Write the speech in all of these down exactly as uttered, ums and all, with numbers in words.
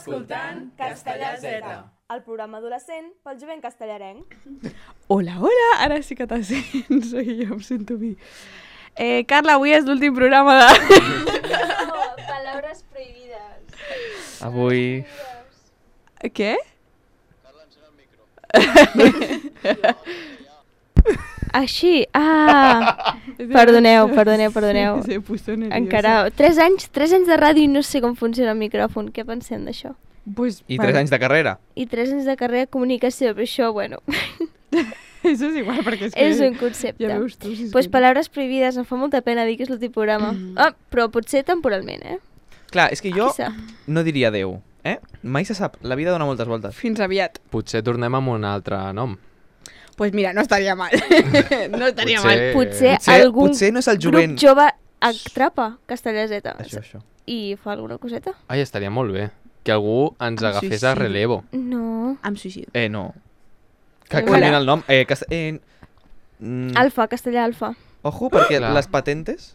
escoltant Castellà Z, el programa adolescent pel jovent castellarenc. Hola, hola, ara sí que te sents, jo em sento mi. Eh, Carla, avui és l'últim programa de... No, paraules prohibides. Avui... Què? Carla, encén el micro. Així, ah... Perdoneu, perdoneu, perdoneu. Se puso nerviosa. Encara, tres anys, tres anys de ràdio i no sé com funciona el micròfon. Què pensem d'això? Pues, I tres anys de carrera. I tres anys de carrera de comunicació, però això, bueno... Això és igual, perquè és que... És un concepte. Ja veus tu, si Doncs pues paraules prohibides, em fa molta pena dir que és l'últim programa. Mm. Ah, però potser temporalment, eh? Clar, és que jo Qui sap? no diria adeu, eh? Mai se sap, la vida dona moltes voltes. Fins aviat. Potser tornem amb un altre nom. Doncs pues mira, no estaria mal. No estaria Potser- mal. Potser, Potser, algun potser no és el grup jovent. jove atrapa Castellà Z Això, això. i fa alguna coseta. Ai, estaria molt bé. Que algú ens Em agafés suïcido. a relevo. No. Em suïcido. Eh, no. Que Hola. canvien el nom. Eh, cast... eh, mm, Alfa, Castellà Alfa. Ojo, perquè Clar. les patentes...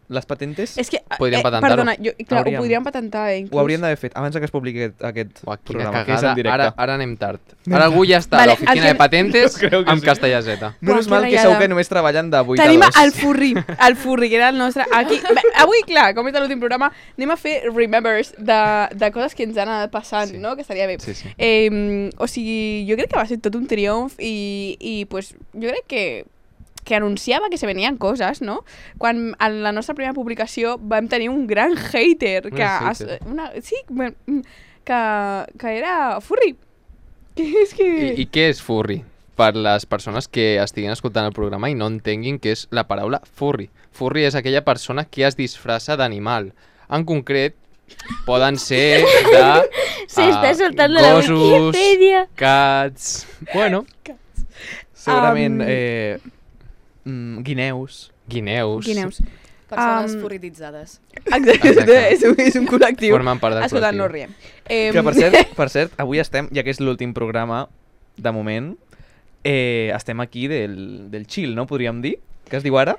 Les patentes És que, Podríem eh, patentar-ho. perdona, jo, clar, Hauríem. ho podríem patentar, eh, inclús. ho haurien d'haver fet abans que es publiqui aquest, aquest Uah, quina programa, que és cagada. en directe. Ara, ara anem tard. Ara algú ja està Vale, a l'oficina el que- de patentes Jo crec que amb sí. Castellà Z. Menys Uah, mal que que rayada. segur que només treballen de vuit Tenim a dos. el Furri, el Furri, que era el nostre... Aquí, bé, avui, clar, com és l'últim programa, anem a fer remembers de, de coses que ens han anat passant, Sí. no? Que estaria bé. Sí, sí. Eh, o sigui, jo crec que va ser tot un triomf i, i pues, jo crec que que anunciava que se venien coses, no? Quan en la nostra primera publicació vam tenir un gran hater, Un que, hater. Es, una, sí, bueno, que, que era Furri. Que és que... I, I què és furry? Per les persones que estiguin escoltant el programa i no entenguin què és la paraula furry. Furry és aquella persona que es disfressa d'animal. En concret, poden ser de Se està ah, soltant de la gossos, Wikipedia. cats... Bueno, Segurament Um, eh, mm, guineus. guineus. Guineus. Persones Um, furrititzades. Exacte, Exacte. és, un, és un col·lectiu. Formen part del Escolta, col·lectiu. no riem. Eh, Que per cert, per cert, avui estem, ja que és l'últim programa, de moment, eh, estem aquí del, del chill, no? Podríem dir? Què es diu ara?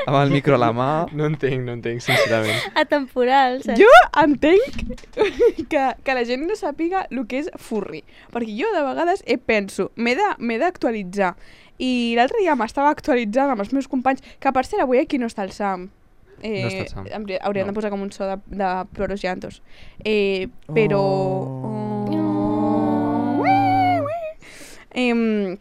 Amb el micro a la mà. No entenc, no entenc, sincerament. Atemporal, saps? Jo entenc que, que la gent no sàpiga el que és furri. Perquè jo de vegades he penso, m'he de- m'he d'actualitzar. I l'altre dia m'estava actualitzant amb els meus companys, que per cert avui aquí no està el Sam. Eh, No està el Sam. hauria- Hauríem No. de posar com un so de, de ploros llantos. Eh, però... Oh. Oh. Em,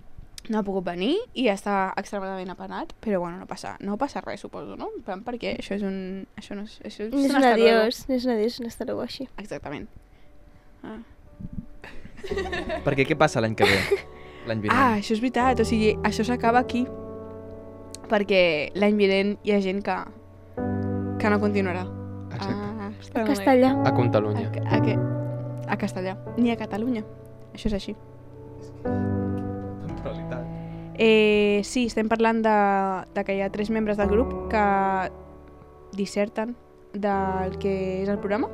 no ha pogut venir i està extremadament apenat, però bueno, no passa, no passa res, suposo, no? En plan, perquè això és un... Això no és, això és, No és un un hasta luego. adiós, no és un adiós, un hasta luego així. Exactament. Ah. Perquè què passa l'any que ve? L'any vinent. ah, això és veritat, o sigui, això s'acaba aquí. Perquè l'any vinent hi ha gent que, que no continuarà. Exacte. Ah, A Castellà. A Catalunya. A, a, què? A Castellà, ni a Catalunya. Això és així. Temporalitat. Eh, sí, estem parlant de, de que hi ha tres membres del grup que disserten del que és el programa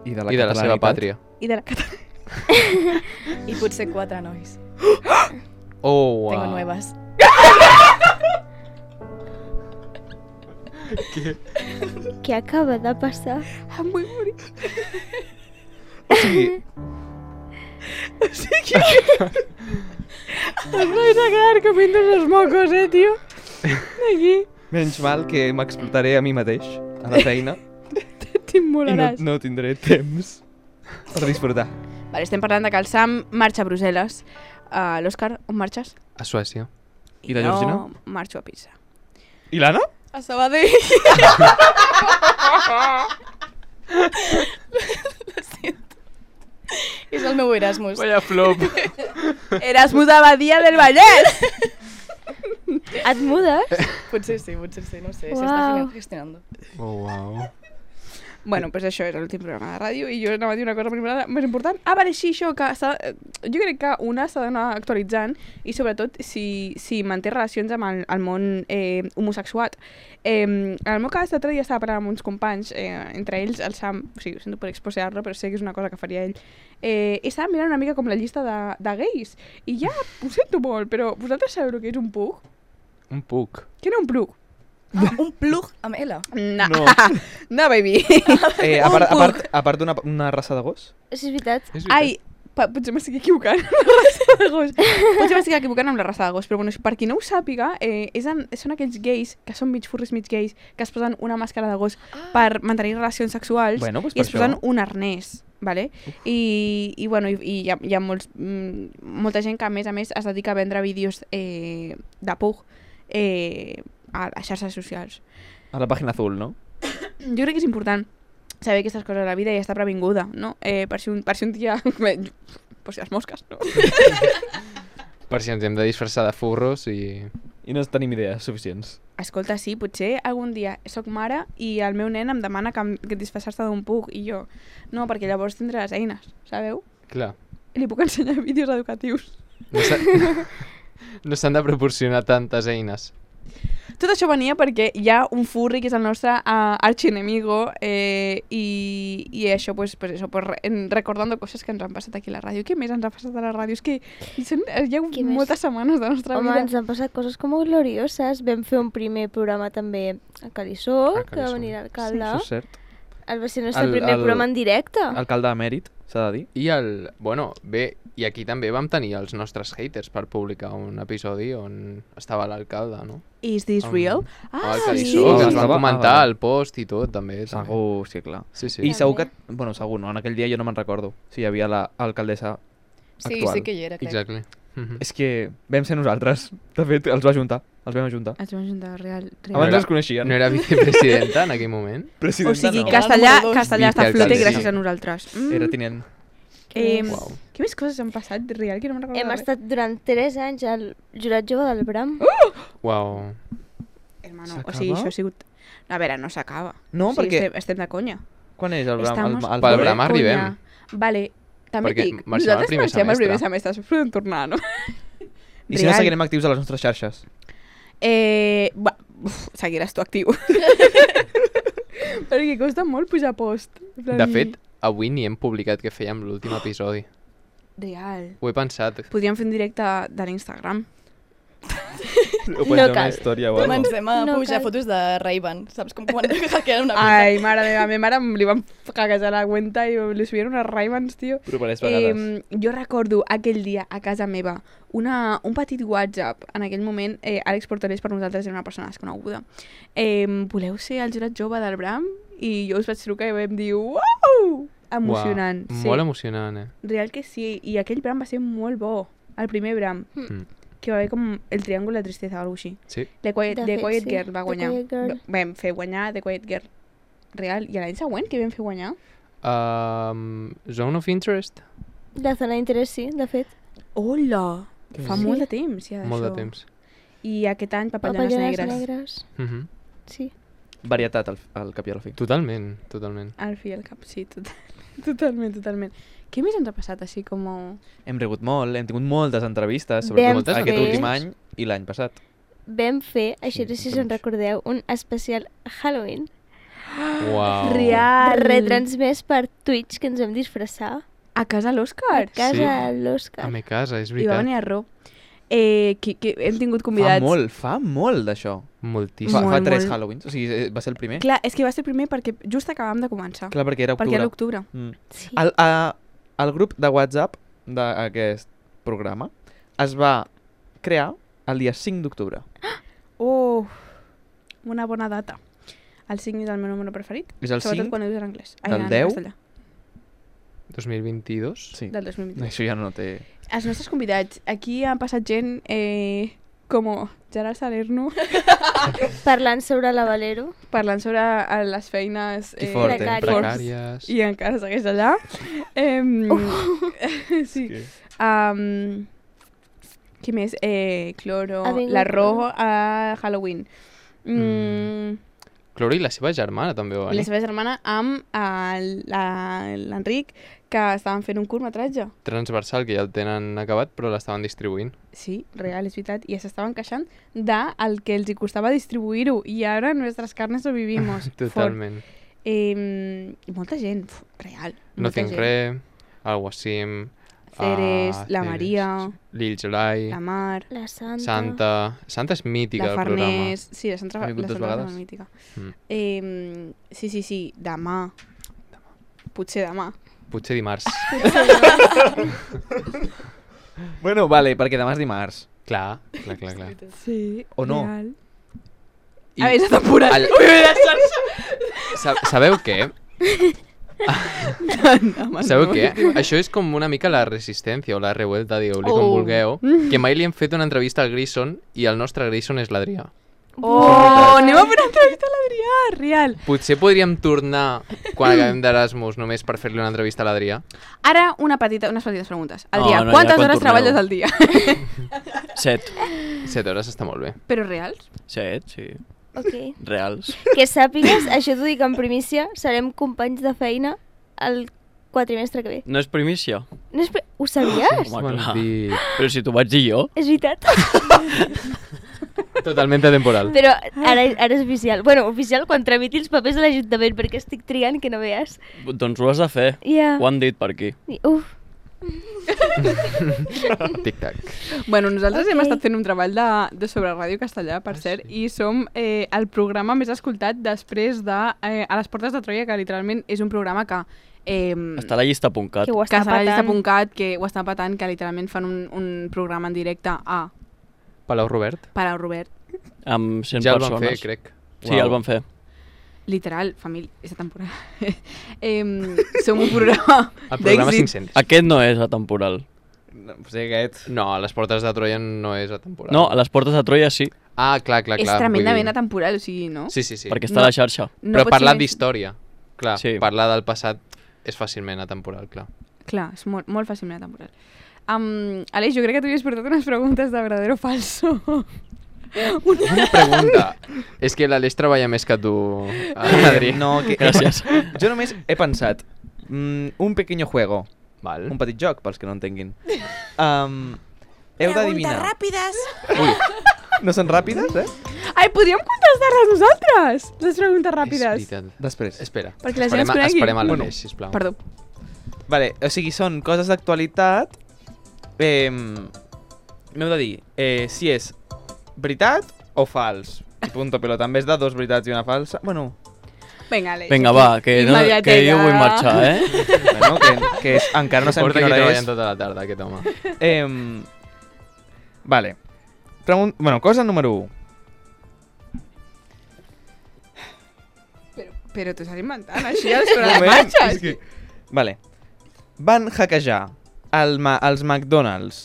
I de la, I de la seva catalanitat. pàtria. i de la catalanitat. I potser quatre nois. Oh, wow. Tengo nuevas. Què acaba de passar? Em vull morir. O sigui, O sigui que... Els vais a quedar comiendo los mocos, eh, tio? Aquí. menys mal que m'explotaré a mi mateix, a la feina, i no, T'immolaràs. no tindré temps per disfrutar. Vale, estem parlant de que el Sam marxa a Brussel·les. Uh, L'Òscar, on marxes? A Suècia. I la Georgina? Jo marxo a Pisa. I l'Anna? A Sabadell. Lo siento. És el meu Erasmus. Vaya flop. Erasmus a Badia del Vallès. Et mudes? Potser sí, potser sí, no sé. Uau. S'està gestionando. Oh, wow. Bueno, pues això era l'últim programa de ràdio i jo anava a dir una cosa més important. Més important. Ah, vale, sí, això, que s'ha- jo crec que una s'ha d'anar actualitzant i sobretot si, si manté relacions amb el, el món eh, homosexual. Eh, en el meu cas, l'altre dia estava parlant amb uns companys, eh, entre ells el Sam, o sigui, ho sento per exposar-lo, però sé que és una cosa que faria ell, eh, i estava mirant una mica com la llista de, de gais. I ja, ho sento molt, però vosaltres sabeu el que és un pug? Un puc. Què era un plug? Ah, un plug amb L. No, No. no baby. Eh, a part, a part, a part d'una una raça de gos? Sí, és veritat. És veritat. Ai, pa, potser m'estic equivocant amb la raça de gos. Potser m'estic equivocant amb la raça de gos, però bueno, per qui no ho sàpiga, eh, és en, són aquells gais, que són mig furris, mig gais, que es posen una màscara de gos Ah. per mantenir relacions sexuals Bueno, doncs i per es posen això. un arnès. Vale? I, i, bueno, i, i hi, ha, hi ha molts, mm, molta gent que a més a més es dedica a vendre vídeos eh, de pug eh, a, a xarxes socials. A la pàgina azul, no? Jo crec que és important saber aquestes coses de la vida i estar previnguda, no? Eh, per, si un, per si un dia... per si les mosques, no? Per si ens hem de disfressar de furros i... I no tenim idees suficients. Escolta, sí, potser algun dia soc mare i el meu nen em demana que, em, que disfressar-se d'un pug i jo, no, perquè llavors tindré les eines, sabeu? Clar, I li puc ensenyar vídeos educatius. no s'ha- no s'han de proporcionar tantes eines. Tot això venia perquè hi ha un furri que és el nostre uh, archienemigo eh, i, i això, pues, pues eso, pues, re, en- recordando coses que ens han passat aquí a la ràdio. Què més ens ha passat a la ràdio? És que hi, són, hi ha Què més? moltes setmanes de la nostra Home, vida. ens han passat coses com glorioses. Vam fer un primer programa també a Calissó, A que va Calissó. venir l'alcalde. Això és cert. El va ser el nostre El- primer el- programa en directe. Alcalde emèrit, s'ha de dir. I el... Bueno, bé, i aquí també vam tenir els nostres haters per publicar un episodi on estava l'alcalde, no? Is this Amb- real? Amb Ah, el sí. Calissó, Ah, que ens estava- van comentar ah, vale. el post i tot, també. també. Segur, sí, clar. Sí, sí. I També. segur que... Bueno, segur, no? En aquell dia jo no me'n recordo si hi havia l'alcaldessa Sí, actual. sí que hi era, crec. Exactly. Mhm. És que vam ser nosaltres. De fet, els va juntar. Els vam ajuntar. Ens vam juntar real. real. Abans era- els coneixien. No era vicepresidenta en aquell moment? Presidenta, O sigui, no. castellà, Era el castellà està a Vicealcalde, flote sí. gràcies a nosaltres. Mm. Era tinent. Eh, Uau. Què més coses han passat real que no me'n recordo Hem de res? estat durant tres anys al jurat jove del Bram. Uau. Hermano, o S'acaba? sigui, això ha sigut... A veure, no s'acaba. No, o sigui, perquè... estem, estem de conya. Quan és el Bram? Estamos El, el, Pel de Bram conya. arribem. Vale, també Perquè dic, marxem al nosaltres primer marxem al primer semestre. semestre, podem tornar, no? I si no Real. seguirem actius a les nostres xarxes? Eh, va, uf, seguiràs tu actiu. Perquè costa molt pujar post. En plan, De fet, avui ni hem publicat que fèiem l'últim episodi. Real. Ho he pensat. Podríem fer un directe de l'Instagram. O No pot ser una cal. història o alguna cosa. Comencem a No pujar cal. fotos de Ray-Ban, saps? Com quan hackeaven una mica. Ai, mare meva, a mi mare li van hackejar la cuenta i li subien unes Ray-Bans, tio. Però per vegades. Eh, jo recordo aquell dia a casa meva una, un petit WhatsApp. En aquell moment, eh, Àlex Portales per nosaltres era una persona desconeguda. Eh, voleu ser el jurat jove del Bram? I jo us vaig trucar i vam dir uau! Emocionant. Uau, sí. molt emocionant, eh? Real que sí. I aquell Bram va ser molt bo. El primer Bram. Mm. Que va haver com el triàngul de tristesa o alguna cosa així. Sí. The Quiet, De The fet, Quiet sí. Girl va The guanyar. Quiet Girl. Va- Vam fer guanyar The Quiet Girl. Real. I l'any següent, què vam fer guanyar? Um, Zone of Interest? La zona d'interès, sí, de fet. Hola! Què Fa és? molt Sí. de temps, ja, Molt de d'això. temps. I aquest any, Papallanes Papallanes Negres. negres. Mhm. Sí. Varietat al, al cap i al fi. Totalment, totalment. Al fi i al cap, sí, total, totalment, totalment. Què més ens ha passat així com... Hem regut molt, hem tingut moltes entrevistes, Vam sobretot fer- aquest últim any i l'any passat. Vam fer, això no sé si us en doncs. recordeu, un especial Halloween. Uau. Real! Retransmès per Twitch, que ens vam disfressar. A casa A l'Òscar. casa Sí. de l'Òscar. A mi casa, és I va veritat. venir a Ro. Eh, que, que hem tingut convidats. Fa molt, fa molt d'això. Moltíssim. Fa, fa Molt, tres molt. Halloweens, o sigui, eh, va ser el primer. Clar, és que va ser el primer perquè just acabàvem de començar. Clar, perquè era perquè era octubre. l'octubre. Mm. Sí. El, a, el grup de WhatsApp d'aquest programa es va crear el dia cinc d'octubre. Oh, una bona data. El cinc és el meu número preferit. És el Sobretot cinc quan ho dius en anglès. del en deu? castellà, dos mil vint-i-dos? Sí. del dos mil vint. Això ja no té... Els nostres convidats. Aquí ha passat gent eh, com Gerard Salerno Parlant sobre la Valero. parlant sobre eh, les feines I fort, eh? precàries. Precàries. i encara segueix allà. Eh, sí. Que- Um, qui més? Eh, Cloro, Ha vingut la Cloro. Ro a Halloween. Mm. Cloro i la seva germana també va I la venir. seva germana amb el- la- l'Enric, que estaven fent un curtmetratge. Transversal, que ja el tenen acabat, però l'estaven distribuint. Sí, real, és veritat. I s'estaven queixant del que els hi costava distribuir-ho. I ara nuestras carnes lo vivimos. Totalment. Eh, I molta gent, uf, real. molta No tinc gent. res, el Wassim, Ceres, Ah, la Ceres, Maria, Lil Gelai, la Mar, La Santa. Santa... Santa és mítica la del programa. Farners... Sí, la Santa, Ha vingut la dues Santa és vegades. molt mítica. Mm. Eh, sí, sí, sí, demà. Potser demà. Potser dimarts. Bueno, vale, perquè demà és dimarts. Clar, clar, clar, clar. Sí, O no. real. I A veure, és temporal. el- Ui, ui, la xarxa. Sa- Sabeu què? Home, Sabeu no. què? Això és com una mica la resistència o la revuelta, digueu-li com Oh. vulgueu, que mai li hem fet una entrevista al Grayson i el nostre Grayson és l'Adrià. Oh, anem a fer una entrevista a l'Adrià, real. Potser podríem tornar quan acabem d'Erasmus només per fer-li una entrevista a l'Adrià. Ara, una petita, unes petites preguntes. Adrià, No, no, quantes ja quan hores torneu. treballes al dia? Set. Set hores està molt bé. Però reals? Set, sí. Ok. Reals. Que sàpigues, això t'ho dic en primícia, serem companys de feina el quatrimestre que ve. No és primícia? No és pri... Ho sabies? Home, Bon clar. dit. Però si t'ho vaig dir jo. És veritat. Totalment atemporal. Però ara, ara és oficial. Bueno, oficial quan tramiti els papers de l'Ajuntament, perquè estic triant que no veas. Doncs ho has de fer. Ja. Ho han dit per aquí. Uf. Tic-tac. Bueno, nosaltres Ok. hem estat fent un treball de, de sobre Ràdio Castellà, per cert, i som eh, el programa més escoltat després de eh, A les portes de Troia, que literalment és un programa que... Eh, Està a la llista punt cat. Que ho que està està a la llista patant. punt cat, que ho està patant, que literalment fan un, un programa en directe a Palau Robert. Palau Robert. Amb cent Ja el van persones. fer, crec. Sí, el van fer. Literal, família, és temporada. eh, som un programa El programa d'èxit. cinc-cents. Aquest no és atemporal. No, o sigui, aquest... No, a les portes de Troia no és atemporal. No, a les portes de Troia sí, Ah, clar, clar, És clar. tremendament vull dir- atemporal, o sigui, no? Sí, sí, sí. perquè està No. a la xarxa. no Però pot ser parlant més- d'història. Clar, Sí. parlar del passat és fàcilment atemporal, clar. Clar, és molt, molt fàcilment atemporal. Um, Aleix, jo crec que tu havies portat unes preguntes de verdadero o falso. Una pregunta. És que l'Aleix treballa més que tu, Adri. No, que... Gràcies. Jo només he pensat mm, un pequeño juego, Val. un petit joc, pels que no entenguin. Um, heu d'adivinar. ràpides. Ui, no són ràpides, eh? Ai, podríem contestar-les nosaltres, les preguntes ràpides. És veritat. Després. Espera, Perquè la gent esperem, es conegui. esperem a Bueno, l'Aleix, sisplau. Perdó. Vale, o sigui, són coses d'actualitat. Eh, M'heu de dir eh, si és veritat o fals. I punto pelota. En vez de dos veritats i una falsa... Bueno, Vinga, Aleix. Vinga, aquí. va, que, no, que Immediatesa. jo vull marxar, eh? bueno que, que és, encara no sabem Porta quina aquí hora treballant és. tota la tarda, aquest home. Eh, vale. Pregun bueno, cosa número u. Però, però t'ho estàs inventant, així, a sobre les marxes. és que... Vale. Van hackejar el ma els McDonald's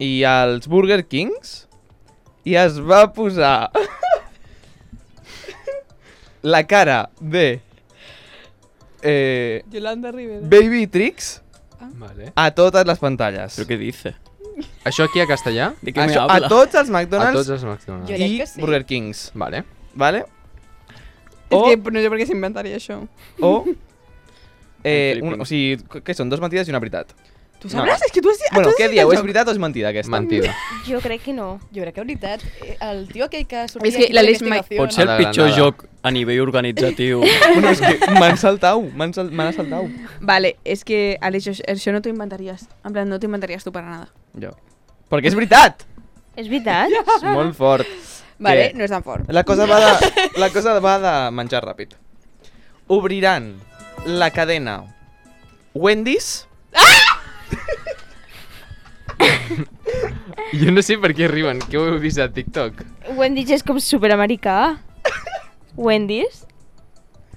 i els Burger Kings i es va posar la cara de eh, Yolanda Rivera. Baby Tricks Vale. a totes les pantalles. Però què dice? Això aquí a castellà? De què me Això, a habla? tots els A McDonald's tots els McDonald's. Jo crec i que sí. Burger Kings. Vale. Vale? És O, que no sé per què s'inventaria això. o eh, Flipping. un, o sigui, què són? Dos mentides i una veritat. Tu No. sabràs? És que tu has... Bueno, tu has què dit dieu? el És joc. veritat o és mentida aquesta? Mentida. Jo crec que no. Jo crec que veritat. eh, El tio aquell que sortia És que aquí per l'Aleix mai- investigació, Pot ser A el la pitjor Granada. joc a nivell organitzatiu. Bueno, és que m'han saltat, m'han sal m'han assaltat. Vale, és que, Aleix, això, això no t'ho inventaries. En plan, no t'ho inventaries tu per nada. Jo. Perquè és veritat! És veritat? És molt fort. Vale, Què? no és tan fort. La cosa va de, la cosa va de menjar ràpid. Obriran la cadena Wendy's. Jo no sé per què riuen, que ho heu vist a TikTok. Wendy's és com superamericà. Wendy's?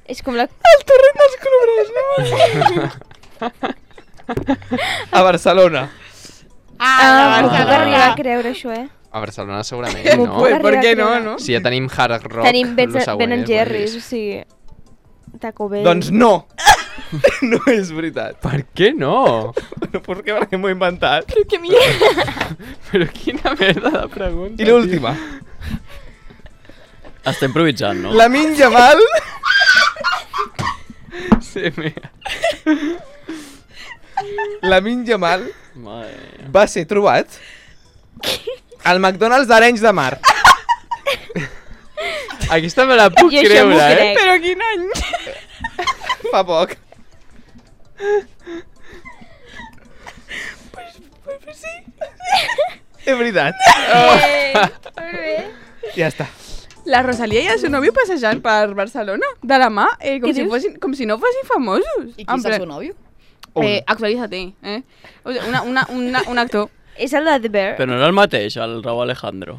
És com la... El torrent dels colorets, no? A Barcelona. Ah, m'ho puc arribar a creure, això, eh? A Barcelona segurament, M'ho no? puc Pues, arribar per a què no, creure. no? Si ja tenim Hard Rock, Tenim Ben, lo següent ben és Jerry's, o Wendy's. sigui... Taco Bell. Doncs no. No és veritat. Per què no? No, per què? Perquè m'ho he inventat. Però que mierda. Però quina merda de pregunta. I l'última. Està improvisant, no? La Minja Mal Sí, mira. La Minja Mal Mare. va ser trobat al McDonald's d'Arenys de Mar. Aquesta me la puc Jo això m'ho creure, eh? crec. Però quin any? Fa poc. És veritat. Molt bé. Ja està. La Rosalía i el seu nòvio passejant per Barcelona, de la mà, eh, com, Què si dius? fossin, com si no fossin famosos. I qui En és el plan- seu nòvio? Eh, actualízate, eh? O sigui, una, una, una, un actor. És el de The Bear. Però no era el mateix, el Raúl Alejandro.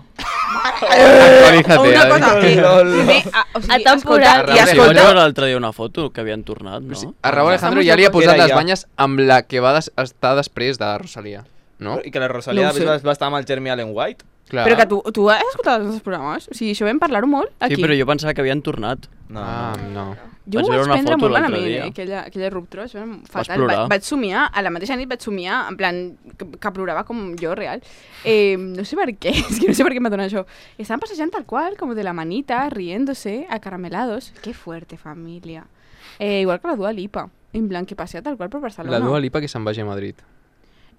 Actualízate, una eh? cosa, eh, Lol. primer, a, o sigui, Atemporal. escolta, I i Sí, vaig escolta, veure l'altre dia una foto que havien tornat, no? Sí, a Raúl Alejandro Estamos ja li ha locos. posat Era les ella. banyes amb la que va des estar després de la Rosalía, no? I que la Rosalía No ho sé. va, va estar amb el Jeremy Allen White. Clar. però que tu, tu has escoltat els nostres programes? O sigui, això vam parlar-ho molt aquí. Sí, però jo pensava que havien tornat. No, Ah, no. no. Jo Vaig ho veure vaig una prendre foto molt l'altre malament, dia. eh, aquella, aquella ruptura, això era fatal. plorar? Va, vaig somiar, a la mateixa nit vaig somiar, en plan, que, que plorava com jo, real. Eh, no sé per què, és que no sé per què em va donar això. Estaven passejant tal qual, com de la manita, riéndose, acaramelados. Qué fuerte, familia. Eh, igual que la Dua Lipa, en plan, que passea tal qual per Barcelona. La Dua Lipa que se'n vagi a Madrid.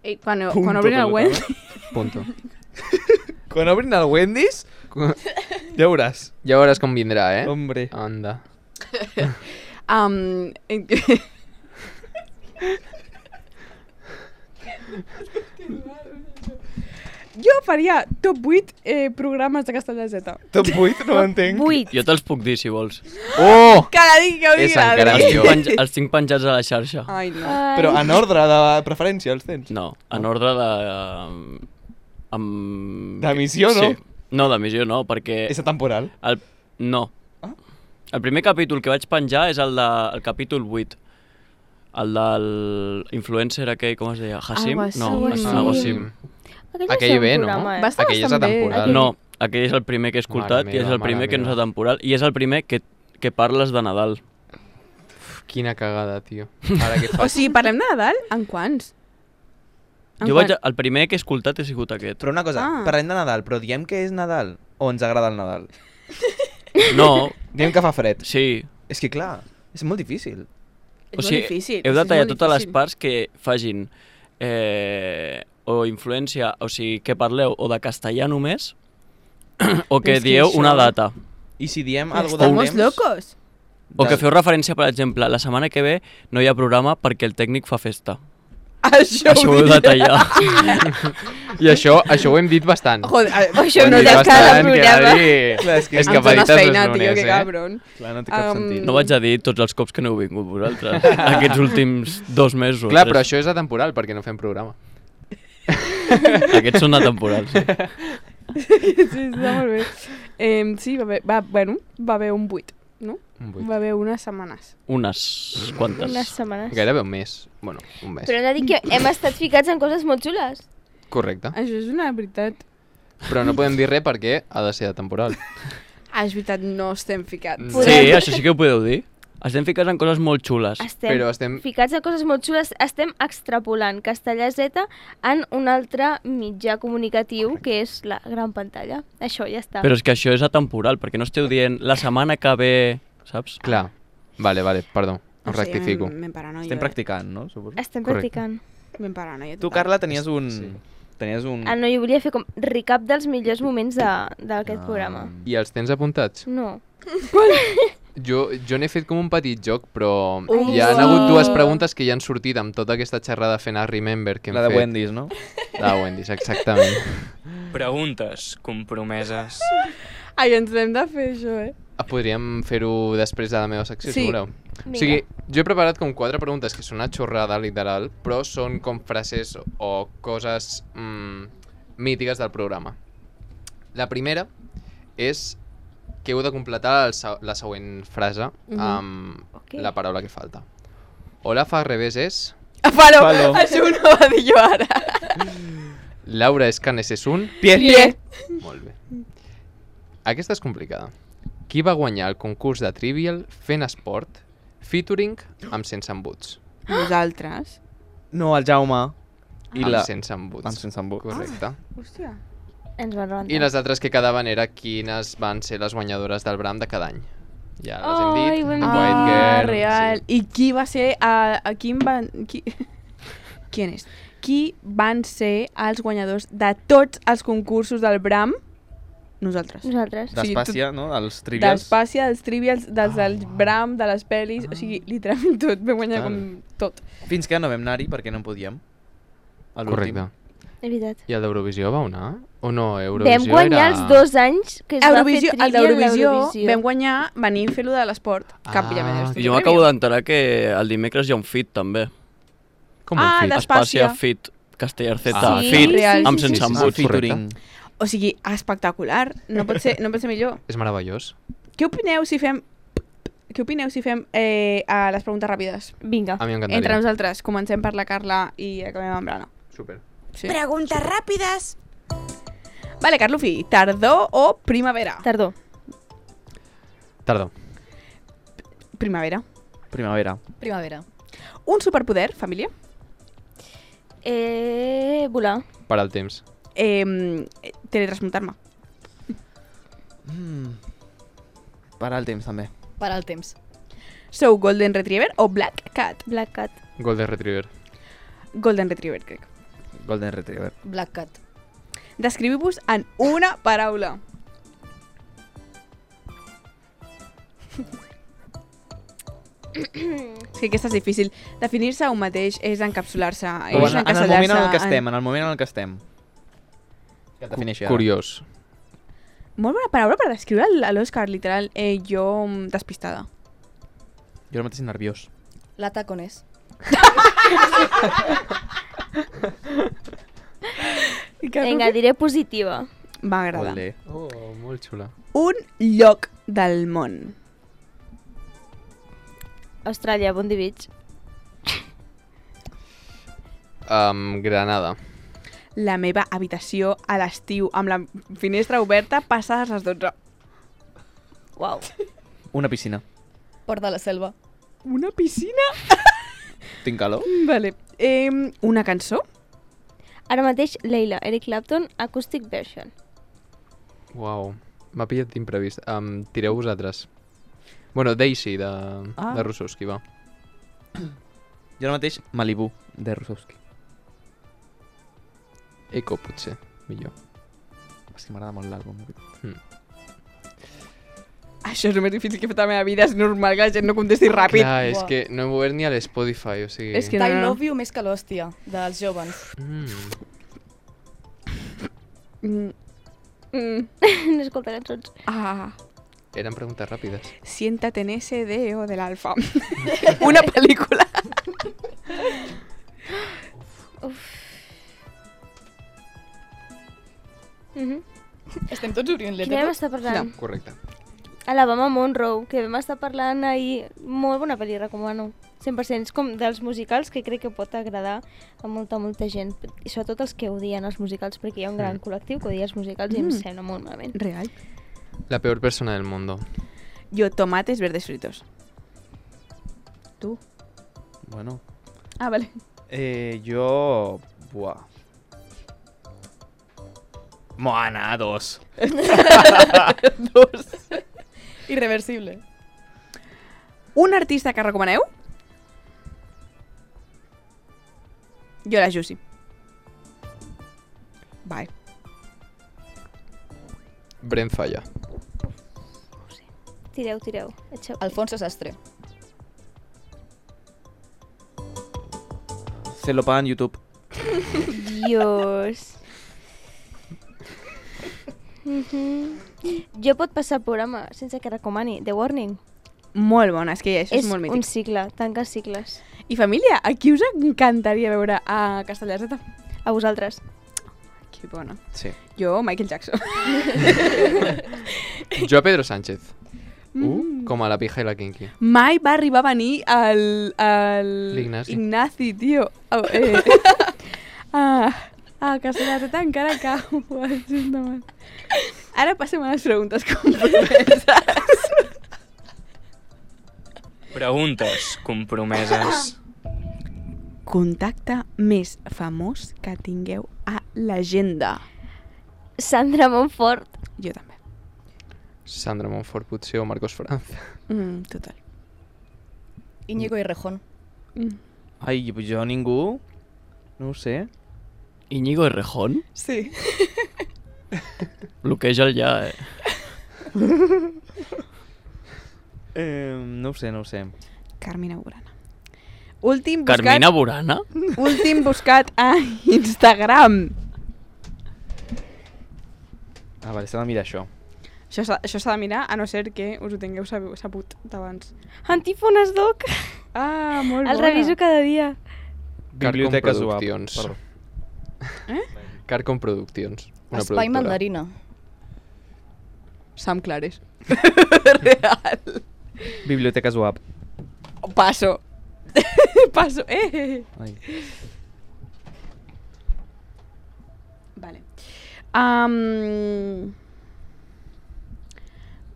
Eh, quan, Punto quan obrin el pelota, Wendy, Punto. Quan obrin el Wendy's, ja veuràs. Ja veuràs com vindrà, eh? Hombre. Anda. um, jo faria top vuit eh, programes de Castelldeseta. Top vuit, no ho entenc. Vuit. Jo te'ls puc dir, si vols. Oh! Que la digui, que ho digui És l'Adri. encara Els tinc, millor. penja els tinc penjats a la xarxa. Ai, no. Ai. Però en ordre de preferència els tens. No, en ordre de... eh, amb... D'emissió, no? Sí. No, d'emissió no, perquè... És atemporal. El... No. Ah. El primer capítol que vaig penjar és el, de... el capítol vuit. El del influencer aquell, com es deia? Hassim? Algo així. No, Algo és així. algo Sí. així. Aquell, Aquell és un bé, no? programa, eh? Va estar Aquell és bastant bé. atemporal. No, aquell és el primer que he escoltat Mare i és meva, el primer mare que no és meva. atemporal i és el primer que, que parles de Nadal. Uf, quina cagada, tio. Ara què O faig? sigui, parlem de Nadal? En quants? En Jo vaig, quants? el primer que he escoltat ha sigut aquest. Però una cosa, Ah. parlem de Nadal, però diem que és Nadal o ens agrada el Nadal? No, Diem que fa fred. sí. És que clar, és molt difícil. És O molt sigui, difícil. heu de és tallar molt totes les difícil. parts que fagin eh, o influència, o sigui, que parleu o de castellà només o que És que dieu això- una data. I si diem Però alguna de Estamos temps... locos. O que de- feu referència, per exemple, la setmana que ve no hi ha programa perquè el tècnic fa festa. Això, Això ho heu de tallar. I això, això ho hem dit bastant. Joder, a- Això Ho hem no dit té cada bastant, que programa. Adri... Clar, és que És em que dones veritat feina, és tio, lunes, que eh? cabron. Clar, no té cap Um, sentit. No vaig a dir tots els cops que no heu vingut vosaltres, aquests últims dos mesos. Clar, però tres. això és atemporal, perquè no fem programa. Aquests són atemporals, sí. Sí, està molt bé. Eh, sí, va haver, va, bueno, va haver un vuit, no? Un vuit. Va haver unes setmanes. Unes quantes. Unes setmanes. Gairebé un mes. Bueno, un mes. Però hem de dir que hem estat ficats en coses molt xules. Correcte. Això és una veritat. Però no podem dir res perquè ha de ser atemporal. Ah, és veritat, no estem ficats. Mm. Sí, Podem- això sí que ho podeu dir. Estem ficats en coses molt xules. Estem, Però estem... ficats en coses molt xules. Estem extrapolant Castellà Z en un altre mitjà comunicatiu que és la gran pantalla. Això ja està. Però és que això és atemporal, perquè no esteu dient la setmana que ve, saps? Clar. Vale, vale, perdó. Ho rectifico. M'hem paranoia. Estem practicant, no? Suposo. Estem Correcte. practicant. M'hem paranoia. Tu, total. Carla, tenies un... Sí. Tenies un... Ah, no, jo volia fer com recap dels millors moments de- d'aquest Ah. programa. I els tens apuntats? No. Jo, jo n'he fet com un petit joc, però Ui, hi ha sí. hagut dues preguntes que ja han sortit amb tota aquesta xerrada fent a Remember que hem La de fet. Wendy's, no? La de Wendy's, exactament. Preguntes compromeses. Ai, ens hem de fer això, eh? Ah, podríem fer-ho després de la meva secció, Sí. si voleu. O sigui, jo he preparat com quatre preguntes que són una xorrada, literal, però són com frases o coses mm, mítiques del programa. La primera és que heu de completar el, se- la següent frase Mhm. amb Ok. la paraula que falta. Hola fa al revés és... Falo, Falo. això ho no va dir jo ara. Laura Escanes és un... Pie. Pie. Molt bé. Aquesta és complicada. Qui va guanyar el concurs de Trivial fent esport featuring amb Sense Embuts? Nosaltres. No, el Jaume. I Amb la... Sense Embuts. Amb sense embuts. Correcte. Hòstia. Ens van rebentar. I les altres que quedaven era quines van ser les guanyadores del Bram de cada any. Ja les hem Ai, dit. ho hem The dit. White Ah, Girl, real. sí. I qui va ser... A, a quin van... Qui... Qui és? Qui van ser els guanyadors de tots els concursos del Bram? Nosaltres. Nosaltres. Sí, D'Espàcia, no? Els trivials. D'Espàcia, dels trivials, dels del Bram, de les pel·lis... O sigui, literalment tot. Vam guanyar Tal. com tot. Fins que no vam anar-hi perquè no en podíem. A l'últim. Correcte. És veritat. I el d'Eurovisió va anar? O no? Eurovisió Vam guanyar era... els dos anys que es Eurovisió, va fer el trivia en d'Eurovisió l'Eurovisió. vam guanyar venint fer-lo de l'esport. Cap ja Ah, I jo m'acabo d'enterar que el dimecres hi ha un fit, també. Com Ah, un fit? de- Espàcia Espàcia. fit, Castellar Z, Ah, sí, fit, real, amb sí, sense sí, sí. embuts. Ah, featuring. O sigui, espectacular. No pot ser, no pot ser millor. És meravellós. Què opineu si fem... Què opineu si fem eh, a les preguntes ràpides? Vinga. A mi Entre m'encantaria. nosaltres. Comencem per la Carla i acabem amb l'Anna. Super. Sí. Preguntes ràpides. Vale, Carlufi, tardor o primavera? Tardor. Tardor. Primavera. Primavera. Primavera. Un superpoder, família? Eh, volar. Per al temps. Eh, teletransportar-me. Mm. Parar el temps, també. Per al temps. Sou Golden Retriever o Black Cat? Black Cat. Golden Retriever. Golden Retriever, crec. Golden Retriever. Black Cat. Descriviu-vos en una paraula. És que aquesta és difícil. Definir-se a un mateix és encapsular-se, és O en, en el moment en el que en- estem, en el moment en el que estem. Que et defineixi ara. Curiós. Molt bona paraula per descriure el- a l'Òscar, literal. Eh, jo mm, despistada. Jo ara mateix nerviós. La taconés. Vinga, diré positiva. M'agrada. Olé. Oh, molt xula. Un lloc del món. Austràlia, Bondi Beach. Um, Granada. La meva habitació a l'estiu amb la finestra oberta passades les dotze. Uau. Una piscina. Port de la Selva. Una piscina? Tinc calor? Vale. Eh, una cançó? Ara mateix, Leila, Eric Clapton, Acoustic Version. Uau. M'ha pillat d'imprevist. Um, tireu vosaltres. Bueno, Daisy, de, Ah. de Russowski, va. Jo ara mateix Malibu, de Rusowski. Eco, potser. Millor. És que m'agrada molt l'àlbum. Això és el més difícil que he fet a la meva vida. És normal que la gent no contesti ràpid. Clar, és Buah. que no hem obert ni a l'Spotify, o sigui... És que- I no, no. Love You més que l'hòstia, dels jovens. Mm. Mm. Mm. No escolta cançons. Ah, Eren preguntes ràpides. siéntate en ese dedo del alfa. Una pel·lícula. Mhm. Estem tots obrint Quina vam lettres. estar parlant? Correcte. Alabama Monroe, que vam estar parlant ahir. Molt bona pel·li, recomano. cent per cent. És com dels musicals que crec que pot agradar a molta, molta gent. I sobretot els que odien els musicals, perquè hi ha un gran Mm. col·lectiu que odia els musicals i em Mm. sembla molt malament. Real. La peor persona del mundo. Jo, tomates verdes fritos. Tu? Bueno. Ah, vale. Eh, jo... Buah. Moana, dos. Dos. Irreversible. Un artista que recomaneu? Jo la Jussi. Bye. Brent Falla. Tireu, tireu. Eixeu. Alfonso Sastre. Se lo pagan YouTube. Dios. Mhm. Jo pot passar el programa sense que recomani. The Warning. Molt bona, és que ja, això és, És molt mític. un cicle, tanca cicles. I família, a qui us encantaria veure a Castellar Z? A vosaltres. Que bona. Sí. Jo, Michael Jackson. Jo a Pedro Sánchez. Mm. Com a la pija i la kinky. Mai va arribar a venir el... el... L'Ignasi. Ignasi, tio. Oh, eh. ah, a Castellar Z encara cau. Justament. Ara passem a les preguntes compromeses. Preguntes compromeses. Contacte més famós que tingueu a l'agenda. Sandra Montfort. Jo també. Sandra Montfort, potser, o Marcos Franza. Mm, total. Íñigo i Rejón. Mm. Ai, jo ningú... No ho sé. Íñigo Errejón? Sí. Bloqueja'l ja, eh? eh... No ho sé, no ho sé. Carmina Burana. Últim buscat... Carmina Burana? Últim buscat a Instagram. Ah, vale, s'ha de mirar això. Això s'ha això s'ha de mirar, a no ser que us ho tingueu sab- sabut d'abans. Antífones doc. Ah, molt El bona. reviso cada dia. Carcom Biblioteca Zoap. Productions. Perdó. Carcom Productions. Una Espai productora. mandarina. Sam Clares. Real. Biblioteca Zoap. Paso. Paso. Eh. Ai. Vale. Um...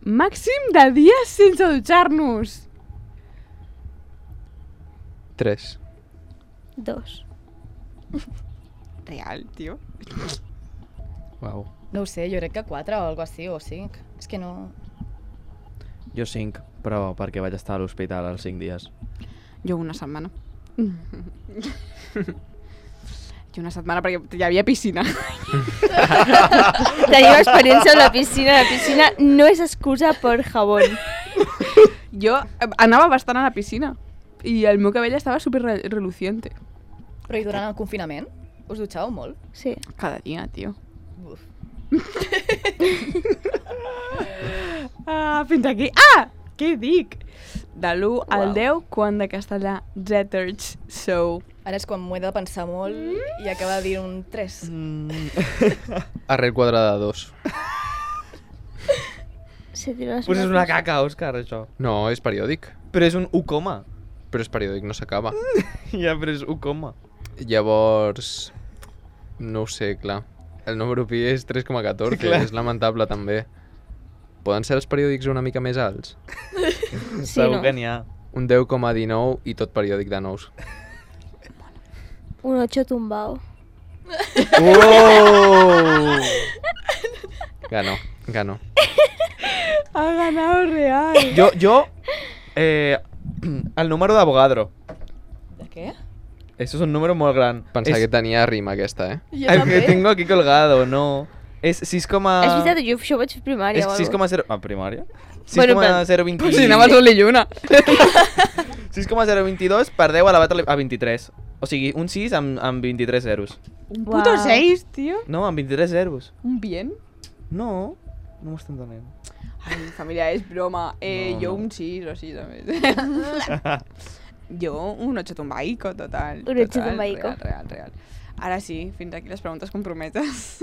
Màxim de dies sense dutxar-nos. Tres. Dos. Real, tio. Uau. No ho sé, jo crec que quatre o algo així, o cinc. És que no... Jo cinc, però perquè vaig estar a l'hospital els cinc dies. Jo una setmana. Jo una setmana perquè hi havia piscina. Tenim experiència amb la piscina. La piscina no és excusa per jabón. Jo eh, anava bastant a la piscina i el meu cabell estava super re reluciente. Però i durant el confinament? Us dutxàveu molt? Sí. Cada dia, tio. Uf. Ah, fins aquí. Ah! Què dic? De l'u al Uau. deu, quant de castellà Zetterch sou? Ara és quan m'ho he de pensar molt i acaba de dir un tres. Arrel quadrada de dos. Se tira les Pues és una mates. caca, Òscar, això. No, és periòdic. Però és un u coma. Però és periòdic, no s'acaba. Ja, però és u coma. Llavors... No ho sé, clar. El número pi és tres coma catorze, Clar. és lamentable també. Poden ser els periòdics una mica més alts? Sí, Segur no? que n'hi ha. Un deu coma dinou i tot periòdic de nous. Un ocho tumbao. Oh! Gano, gano. Ha ganado real. Jo, jo... Eh, el número d'Avogadro. De què? Eso es un número molt gran. Pensava és que tenia rima aquesta, eh? Jo el també. que tengo aquí colgado, no. És sis coma... És veritat, jo això ho vaig fer a primària És o sis alguna coma zero... Ah, primària? Bueno, sis coma zero vint... Pues si anava al sol i lluna. sis coma zero vint dos per deu elevat a vint-i-tres. O sigui, un sis amb, amb vint-i-tres zeros. Un puto Uau. seis, tio. No, amb vint-i-tres zeros. Un bien. No, no m'ho estic entenent. Ai, família, és broma. Eh, No, jo no. un sis o així, també. Jo un ocho tumbaico, total. Un ocho total, tumbaico. Real, real, real. Ara sí, fins aquí les preguntes comprometes.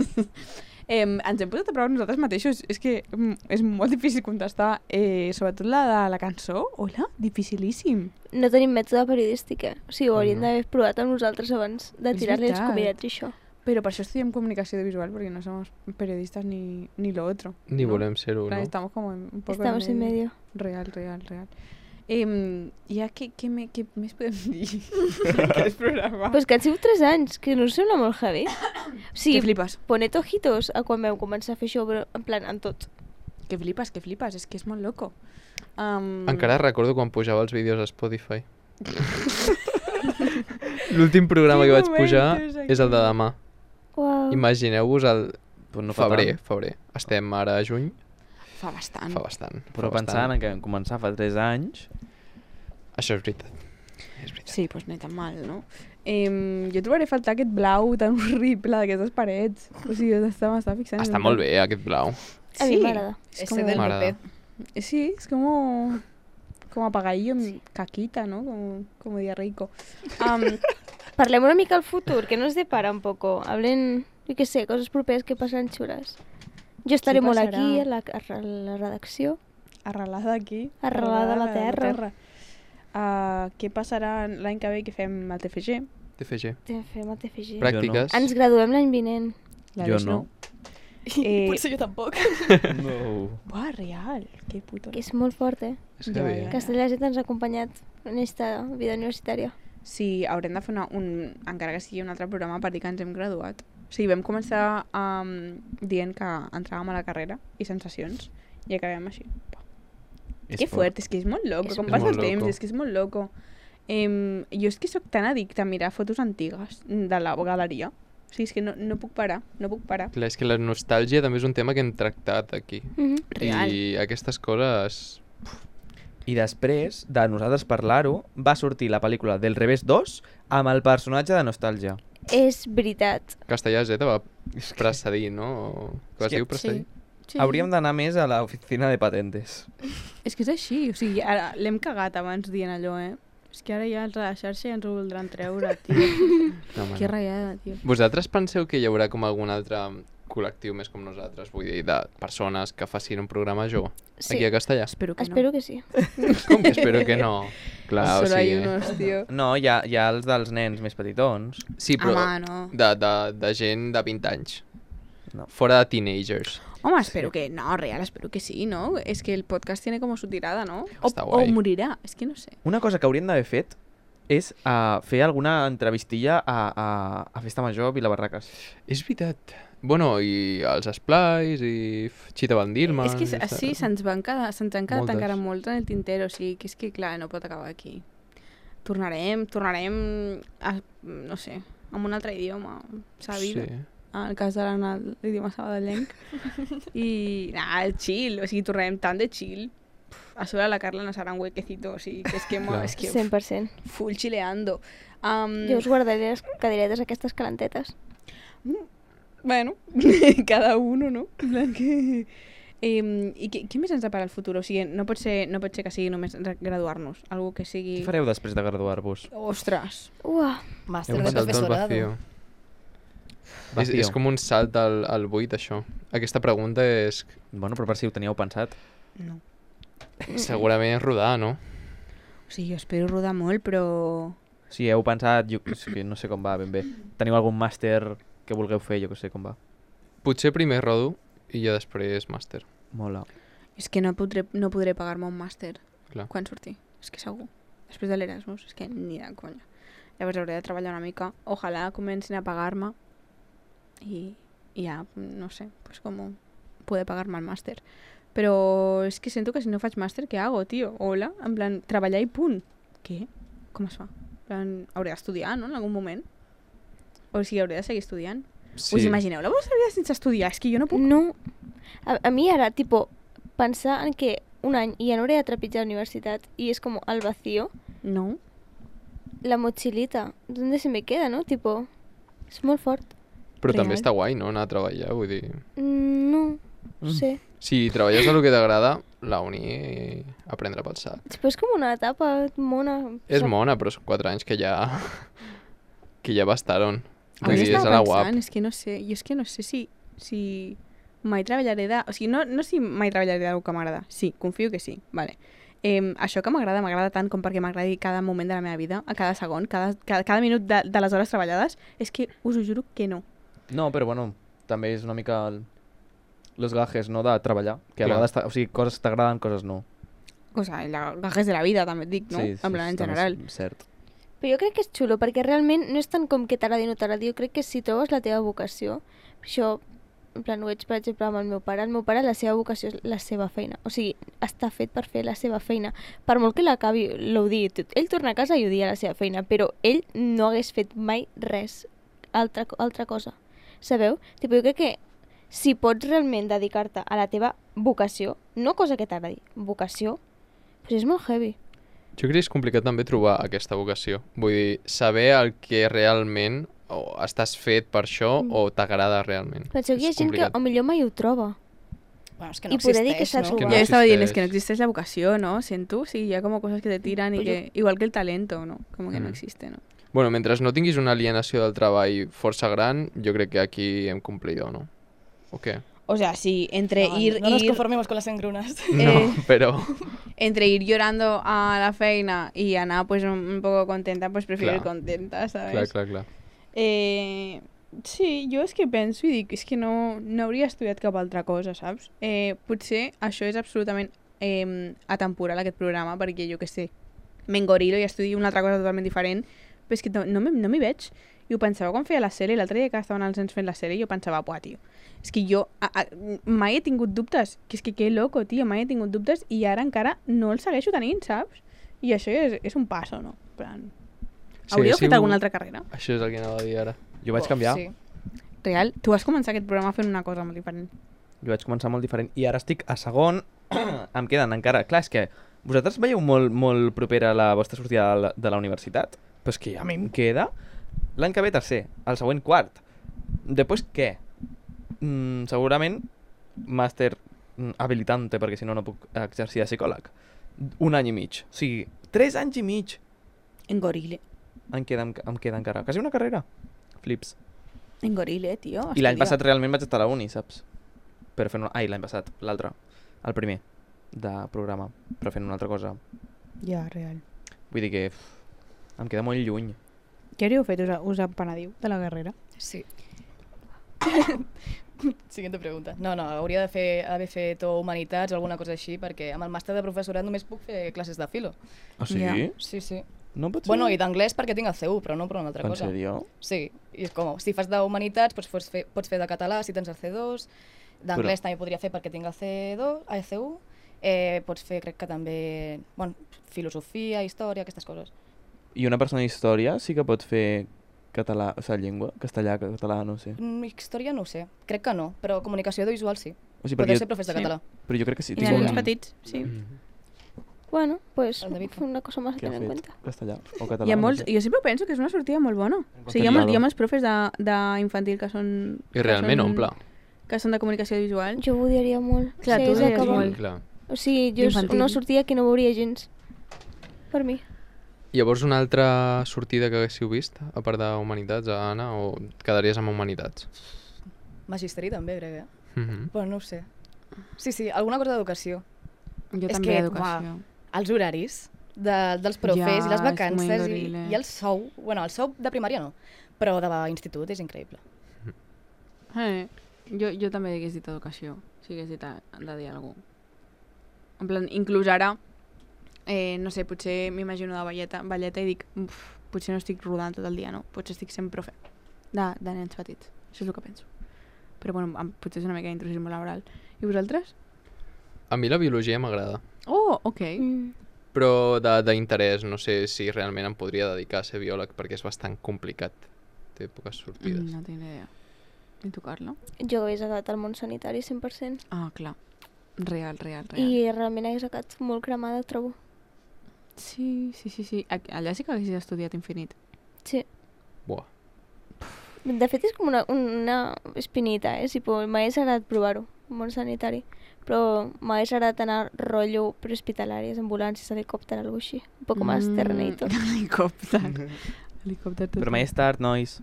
eh, ens hem posat a prova nosaltres mateixos. És que mm, és molt difícil contestar. Eh, sobretot la de la cançó. Hola, dificilíssim. No tenim mètode periodístic, eh? O sigui, ho hauríem No. d'haver provat amb nosaltres abans de És tirar-li els veritat. convidats i això. Pero para eso estudiamos comunicación audiovisual porque no somos periodistas ni, ni lo otro. Ni ¿no? volem ser-ho, En plan, no? Estamos como en- un poco Estamos en medio. Real, real, real. Eh, ja, què, què, me, què més podem dir d'aquest programa? Pues que han sigut tres anys, que no us sembla molt heavy? O Que sigui, flipes, poned ojitos a quan vam començar a fer això, però en plan, en tot. que flipes, que flipes, és que és molt loco. Um, Encara recordo quan pujava els vídeos a Spotify. L'últim programa Quin que vaig moment pujar és aquí. és el de demà. Uau. Imagineu-vos el Pues no fa febrer, tant. febrer. Estem ara a juny, Fa bastant. fa bastant. Però fa pensant bastant. en que vam començar fa tres anys... Això és veritat. És veritat. Sí, doncs no tan mal, no? Eh, jo trobaré a faltar aquest blau tan horrible d'aquestes parets. O sigui, m'estava fixant. en Està el molt blau. bé, aquest blau. A mi m'agrada. Es Ese como, del M'agrada. P P. eh, sí, es como, como apagadillo, en caquita, ¿no? Como, como diarreico. Um, Parlem una mica al futur, que nos depara un poco. Hablen, yo qué sé, coses properes que passaran xules. Jo estaré molt passarà? aquí, a la, a la redacció. arrelada aquí. Arrelada a la terra. Uh, què passarà l'any que ve que fem el T F G? T F G. Te fem el T F G. Pràctiques. Ens graduem l'any vinent. La Jo Aleix no. Eh, Potser jo tampoc. No. Buah, real. Que puto. Que és molt fort, eh? És Ja, heavy, ja. eh? Castellà Z ens ha acompanyat en esta vida universitària. Sí, haurem de fer una, un, encara que sigui un altre programa per dir que ens hem graduat. O sigui, vam començar um, dient que entràvem a la carrera i sensacions i acabem així. Que fort, és que és molt loco, És com molt passa el loco. temps, és que és molt loco. Em, jo és que sóc tan addicta a mirar fotos antigues de la galeria. O sigui, és que no, no puc parar, no puc parar. Clar, és que la nostàlgia també és un tema que hem tractat aquí. Mm -hmm. Real. I aquestes coses... I després de nosaltres parlar-ho, va sortir la pel·lícula del revés dos amb el personatge de Nostàlgia. És veritat. Castellà Z va precedir, no? O- Que vas És que- dir precedir? Sí, Hauríem d'anar més a l'oficina de patentes. És que és així, o sigui, ara l'hem cagat abans dient allò, eh? És que ara ja els de la xarxa ja ens ho voldran treure, tio. No, home, Que no. ratllada, tio. Vosaltres penseu que hi haurà com algun altre col·lectiu més com nosaltres, vull dir, de persones que facin un programa jove Sí. aquí a Castellà? Espero que Espero que sí. Com que espero que no? Clar, o Solo hay sigui... unos, tio. No, hi ha, hi ha els dels nens més petitons. Sí, però Home, no. de, de, de gent de vint anys. No. Fora de teenagers. Home, espero que... No, real, espero que sí, ¿no? Es que el podcast tiene como su tirada, ¿no? O, Està o guai. morirà, és que no sé. Una cosa que haurien d'haver fet és uh, fer alguna entrevistilla a, a, a Festa Major a Vilabarraques. És veritat. Bueno, i els esplais, i f- Chita Van Dillman... És que i s- sí, tal. se'ns van quedar, se'ns han quedat Moltes. encara molts en el tintero, o sigui, que és que, clar, no pot acabar aquí. Tornarem, tornarem, a, no sé, amb un altre idioma, sabi? Sí. En el cas de l'Anna, l'idioma sabadellenc. I, nah, el chill, o sigui, tornarem tant de chill. Puf, a sobre la Carla no serà un huequecito, o sigui, que és que, mo, Clar. és que cent per cent. full chileando. Um, Jo us guardaré les cadiretes aquestes calentetes. Bueno, cada uno, no? En plan que... Eh, I què, què més ens depara el futur? O sigui, no pot ser, no pot ser que sigui només re- graduar-nos. Algo que sigui... Què fareu després de graduar-vos? Ostres! Uah, Màster Un de salt al professorado. vacío. És, Vacío. és com un salt al, al buit, això. Aquesta pregunta és... Bueno, però per si ho teníeu pensat. No. Segurament és rodar, no? O sigui, jo espero rodar molt, però... Si heu pensat, jo és que no sé com va ben bé. Teniu algun màster que vulgueu fer, jo que sé com va. Potser primer rodo i ja després màster. Mola. És que no podré, no podré pagar-me un màster Clar. quan surti. És que segur. Després de l'Erasmus, és que ni de conya. Llavors hauré de treballar una mica. Ojalà comencin a pagar-me i, i ja, no sé, pues com poder pagar-me el màster. Però és que sento que si no faig màster, què hago, tio? Hola, en plan, treballar i punt. Què? Com es fa? En plan, hauré d'estudiar, no?, en algun moment. O sigui, hauré de seguir estudiant. Sí. Us imagineu la vostra vida sense estudiar? És que jo no puc. no. A, a mi ara, tipo, pensar en que un any i ja no hauré de trepitjar la universitat i és com el vacío, No. la mochilita, ¿dónde se me queda, no? Tipo, és molt fort. Però Real. també està guai, no?, anar a treballar, vull dir... Mm, No, no sé. Si treballes el que t'agrada, la uni a prendre pel sac. Després com una etapa mona. És mona, però són quatre anys que ja... que ja bastaron. Vull Avui dir, és a estava la pensant, guap. és que no sé, jo és que no sé si, si mai treballaré de... O sigui, no, no si mai treballaré d'algú que m'agrada. Sí, confio que sí, vale. Eh, això que m'agrada, m'agrada tant com perquè m'agradi cada moment de la meva vida, a cada segon, cada, cada, cada minut de, de les hores treballades, és que us ho juro que no. No, però bueno, també és una mica el... los gajes, no?, de treballar. Que a Clar. vegades, ta- o sigui, coses t'agraden, coses no. O sigui, la, gajes de la vida, també et dic, no? Sí, sí, en plan, en també general. És cert. Però jo crec que és xulo, perquè realment no és tant com que t'agradi o no t'agradi, jo crec que si trobes la teva vocació, això, en plan, ho veig, per exemple, amb el meu pare, el meu pare, la seva vocació és la seva feina, o sigui, està fet per fer la seva feina. Per molt que l'acabi, l'odiï tot, ell torna a casa i odia la seva feina, però ell no hagués fet mai res, altra, altra cosa, sabeu? Tipo, jo crec que si pots realment dedicar-te a la teva vocació, no cosa que t'agradi, vocació, doncs és molt heavy. Jo crec que és complicat també trobar aquesta vocació. Vull dir, saber el que realment o estàs fet per això Mm. o t'agrada realment. Penseu que hi ha És gent que complicat. o millor mai ho troba. Bueno, és que no I poder dir que existeix, saps no? que No no jo estava dient, és existeix. que no existeix la vocació, ¿no? Sento, sí, hi ha com coses que te tiran i Pues que... Igual que el talento, ¿no? Com que no Mm. existe, ¿no? Bueno, mentre no tinguis una alienació del treball força gran, jo crec que aquí hem complidor, no? O què? O sea, sí, entre No, ir, no nos ir, conformemos con las engrunas. No, Eh. però... entre ir llorando a la feina y Ana pues un, un poco contenta, pues prefiero ir Clar. contenta, ¿sabes? Clar, clar, clar. Eh, sí, jo és que penso i dic, és que no, no hauria estudiat cap altra cosa, saps? Eh, potser això és absolutament eh, atemporal, aquest programa, perquè jo que sé, m'engorilo i estudio una altra cosa totalment diferent, però és que no, no m'hi no m'hi veig. I ho pensava quan feia la sèrie, l'altre dia que estaven els nens fent la sèrie, jo pensava, buah, tio, és que jo a, a, mai he tingut dubtes, que és que que loco, tio, mai he tingut dubtes i ara encara no els segueixo tenint, saps? I això és, és un passo, no? En plan, Sí, hauríeu ha fet sigut- alguna altra carrera? Això és el que anava a dir ara. Jo vaig canviar. Sí. Real, tu vas començar aquest programa fent una cosa molt diferent. Jo vaig començar molt diferent i ara estic a segon. Em queden encara... Clar, és que vosaltres veieu molt, molt propera la vostra sortida de la, de la universitat, però és que a mi em queda l'any que ve tercer, el següent quart. Després què? Mm, segurament màster mm, habilitante, perquè si no no puc exercir de psicòleg. Un any i mig. O sigui, tres anys i mig En Gorile. em queda, em queda encara. Quasi una carrera. Flips. En Gorile, tio. I l'any estudia. passat realment vaig estar a la uni, saps? Però fent una... Ai, l'any passat, l'altre. El primer de programa, però fent una altra cosa. Ja, real. Vull dir que uf, em queda molt lluny. Què hauríeu fet? Us, us empenediu de la guerrera? Sí. Siguiente pregunta. No, no, hauria de fer, haver fet o humanitats o alguna cosa així, perquè amb el màster de professorat només puc fer classes de filo. Ah, sí? Ja. Sí, sí. No pot ser? Bueno, i d'anglès perquè tinc el C u, però no per una altra En cosa. sèrio? Sí, i és com, si fas d'humanitats pots, pots, fer, pots fer de català si tens el C dos, d'anglès Però- també podria fer perquè tinc el C dos, el C u, eh, pots fer, crec que també, bueno, filosofia, història, aquestes coses. I una persona d'història sí que pot fer català, o sigui, llengua, castellà, català, no sé. Mm, història no ho sé, crec que no, però comunicació audiovisual sí. O sigui, Podeu perquè ser profes de sí. català. Però jo crec que sí. I tinc nens un- petits, sí. Bueno, pues El David. una cosa más a que ha tener en fet cuenta. castellà o català. Hi ha no molts, sé. jo sempre penso que és una sortida molt bona. O sigui, hi ha, molts, hi ha molts profes de- d'infantil que són... I realment que són, omple. Que són de comunicació visual. Jo ho odiaria molt. Clar, si tu hagués odiaries d'acabar. molt. Clar. O sigui, jo és D'infantil. una sortida que no veuria gens. Per mi. Llavors, una altra sortida que haguéssiu vist, a part d'Humanitats, Anna, o et quedaries amb Humanitats? Magisteri també, crec, eh? Mhm. Però no ho sé. Sí, sí, alguna cosa d'educació. Jo És també que, educació. Els horaris de, dels profes Ja, i les és vacances muy i, horrible. i el sou. Bueno, el sou de primària no, però d'institut és increïble. Eh, jo, jo també hagués dit educació, si hagués dit a, de dir alguna cosa. En plan, inclús ara, eh, no sé, potser m'imagino de balleta, balleta i dic, uf, potser no estic rodant tot el dia, no? Potser estic sent profe de, de nens petits. Això és el que penso. Però bueno, em- potser és una mica d'intrusisme laboral. I vosaltres? A mi la biologia m'agrada, Oh, ok. Mm. però de- d'interès, no sé si realment em podria dedicar a ser biòleg, perquè és bastant complicat. Té poques sortides. Mm, no tinc ni idea. I tu, Carla? Jo hagués acabat al món sanitari cent per cent. Ah, clar. Real, real, real. I realment hagués acabat molt cremada, trobo. Sí, sí, sí, sí. A- Allà sí que haguessis estudiat infinit. Sí. Buah. De fet, és com una, una espinita, eh? Si po- m'hagués agradat provar-ho, món sanitari. Però m'hagués agradat anar rotllo prehospitalàries, ambulàncies, helicòpter, alguna així. Un poc més Mm, terrenito. Helicòpter. Helicòpter tot. Però mai és tard, nois.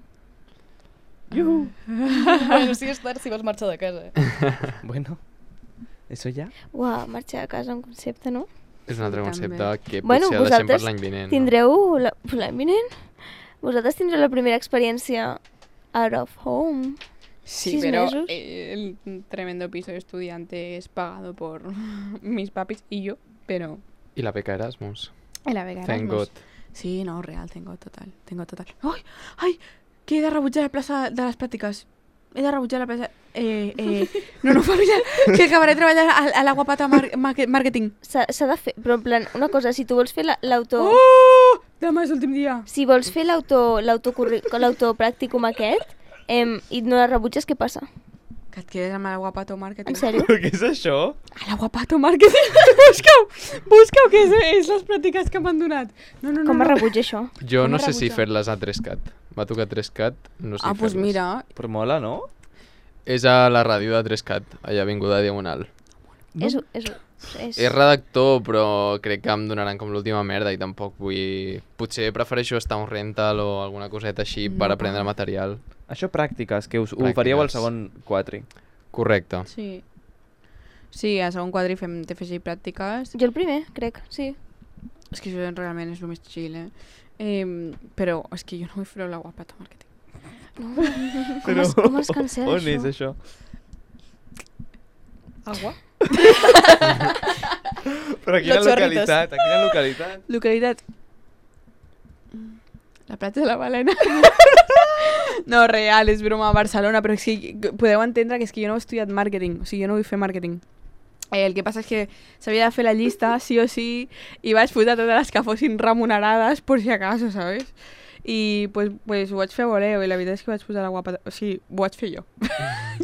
bueno, sí és tard si vols marxar de casa. Eh? Bueno, eso ya. Uau, marxar a casa, un concepte, no? És un altre També. concepte que Bueno, potser el deixem per vosaltres l'any vinent. Tindreu la- l'any vinent? Vosaltres tindreu la primera experiència out of home. Sí, Sis pero mesos. eh, el tremendo piso de estudiante es pagado por mis papis y yo, pero... No? I la beca Erasmus. En la Vega Thank Erasmus. God. Sí, no, real, tengo total, tengo total. ¡Ay! ¡Ay! Que he de rebutjar la plaça de les pràctiques. He de rebutjar la plaça... Eh, eh... No, no, familiar, que acabaré treballant a, a la guapata mar market marketing. S'ha s'ha de fer, però en plan, una cosa, si tu vols fer la- l'auto... Oh! Demà és l'últim dia. Si vols fer l'auto l'autocurri- l'autopràcticum aquest em, i no la rebutges, què passa? Que et quedes amb la guapato marketing. En sèrio? Què és això? A la guapato marketing. busqueu, busqueu que és, és les pràctiques que m'han donat. No, no, no. Com no. es rebutja això? Jo Com no es sé si rebutja? fer-les a tres cat. M'ha tocat tres cat, no sé Ah, si doncs pues fer-les. mira, Però mola, no? És a la ràdio de tres cat, allà a Avinguda Diagonal. És, és, és... És redactor, però crec que em donaran com l'última merda i tampoc vull... Potser prefereixo estar a un rental o alguna coseta així No, per aprendre pa. material. Això pràctiques, que us ho Pràctiques. faríeu al segon quatri. Correcte. sí. Sí, a segon quadre fem T F G i pràctiques. Jo el primer, crec, sí. És que això realment és el més chill, eh? eh però és que jo no vull fer la guapata marketing. No. Com, es, com es cancela On això? és això? Agua? Però a quina Los chorritos. localitat? A quina localitat? Localitat. La platja de la Balena. No, real, és broma, a Barcelona, però és que podeu entendre que és que jo no he estudiat màrqueting, o sigui, jo no vull fer màrqueting. Eh, el que passa és que s'havia de fer la llista, sí o sí, i vaig posar totes les que fossin remunerades, per si acaso, ¿sabes? I pues, pues ho vaig fer a voleo, i la veritat és que vaig posar la guapa... O sigui, ho vaig fer jo.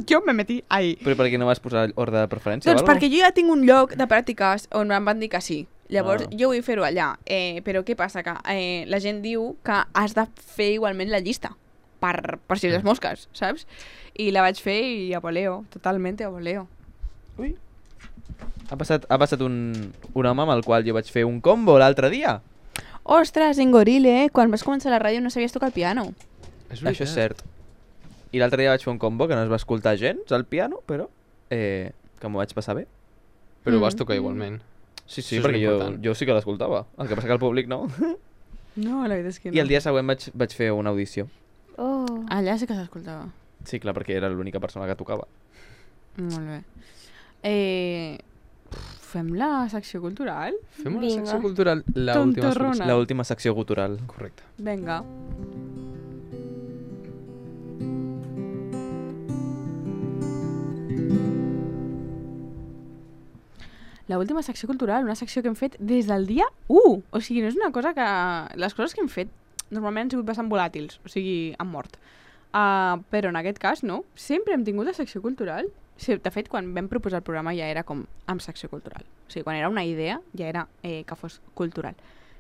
Jo me metí ahí. Però per què no vas posar ordre de preferència Doncs o alguna perquè jo ja tinc un lloc de pràctiques on em van dir que sí. Llavors, Ah. jo vull fer-ho allà. Eh, però què passa? Que eh, la gent diu que has de fer igualment la llista. per, per si les mosques, saps? I la vaig fer i a voleo, totalment a voleo. Ui. Ha passat, ha passat un, un home amb el qual jo vaig fer un combo l'altre dia. Ostres, en Gorile, quan vas començar la ràdio no sabies tocar el piano. És Això és cert. I l'altre dia vaig fer un combo que no es va escoltar gens al piano, però eh, que m'ho vaig passar bé. Però ho Mm. vas tocar igualment. Sí, sí, Això és perquè jo, l'important. jo sí que l'escoltava. El que passa que el públic no. No, la veritat és que no. I el dia següent vaig, vaig fer una audició. Oh. Allà sí que s'escoltava. Sí, clar, perquè era l'única persona que tocava. Molt bé. Eh, fem la secció cultural? Fem una Vinga. secció cultural, la última Tontorrona. solució. La última secció gutural. Correcte. Vinga. La última secció cultural, una secció que hem fet des del dia u. O sigui, no és una cosa que... Les coses que hem fet normalment han sigut bastant volàtils, o sigui, han mort. Uh, però en aquest cas, no. Sempre hem tingut la secció cultural. Sí, de fet, quan vam proposar el programa ja era com amb secció cultural. O sigui, quan era una idea ja era eh, que fos cultural.